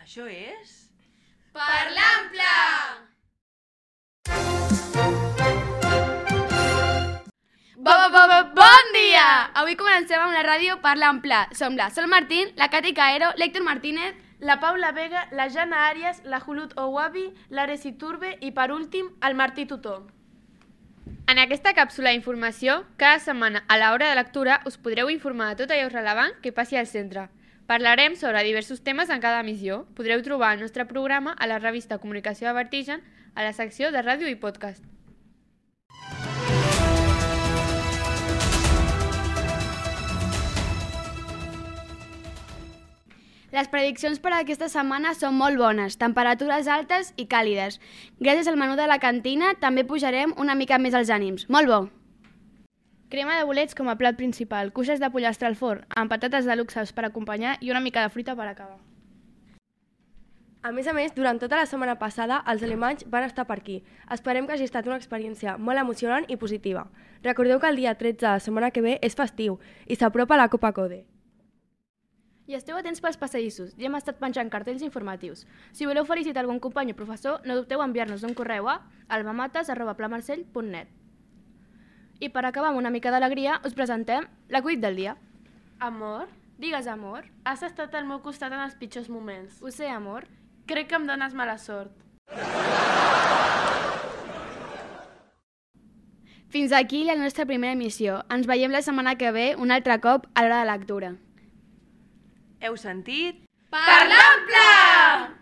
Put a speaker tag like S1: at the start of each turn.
S1: Això és...
S2: Parlant Pla! Bon dia! Avui comencem amb la ràdio Parlant Pla. Som la Sol Martín, la Cati Caero, l'Héctor Martínez,
S3: la Paula Vega, la Jana Arias, la Julut Owabi, l'Ares Iturbe i, per últim, el Martí Tutó.
S2: En aquesta càpsula d'informació, cada setmana a l'hora de lectura us podreu informar de tot allò rellevant que passi al centre. Parlarem sobre diversos temes en cada emissió. Podreu trobar el nostre programa a la revista Comunicació de Vertigen, a la secció de ràdio i podcast. Les prediccions per a aquesta setmana són molt bones, temperatures altes i càlides. Gràcies al menú de la cantina també pujarem una mica més els ànims. Molt bo!
S4: Crema de bolets com a plat principal, cuixes de pollastre al forn, amb patates de luxes per acompanyar i una mica de fruita per acabar.
S3: A més, durant tota la setmana passada, els alemanys van estar per aquí. Esperem que hagi estat una experiència molt emocionant i positiva. Recordeu que el dia 13 de la setmana que ve és festiu i s'apropa la Copa Code.
S4: I esteu atents pels passadissos, ja hem estat penjant cartells informatius. Si voleu felicitar algun company o professor, no dubteu a enviar-nos un correu a albamates@plamarcell.net. I per acabar amb una mica d'alegria, us presentem l'acudit del dia.
S3: Amor?
S4: Digues, amor.
S3: Has estat al meu costat en els pitjors moments.
S4: Ho sé, amor.
S3: Crec que em dones mala sort.
S2: Fins aquí la nostra primera emissió. Ens veiem la setmana que ve un altre cop a l'hora de lectura.
S1: Heu sentit?
S2: Parlant Pla!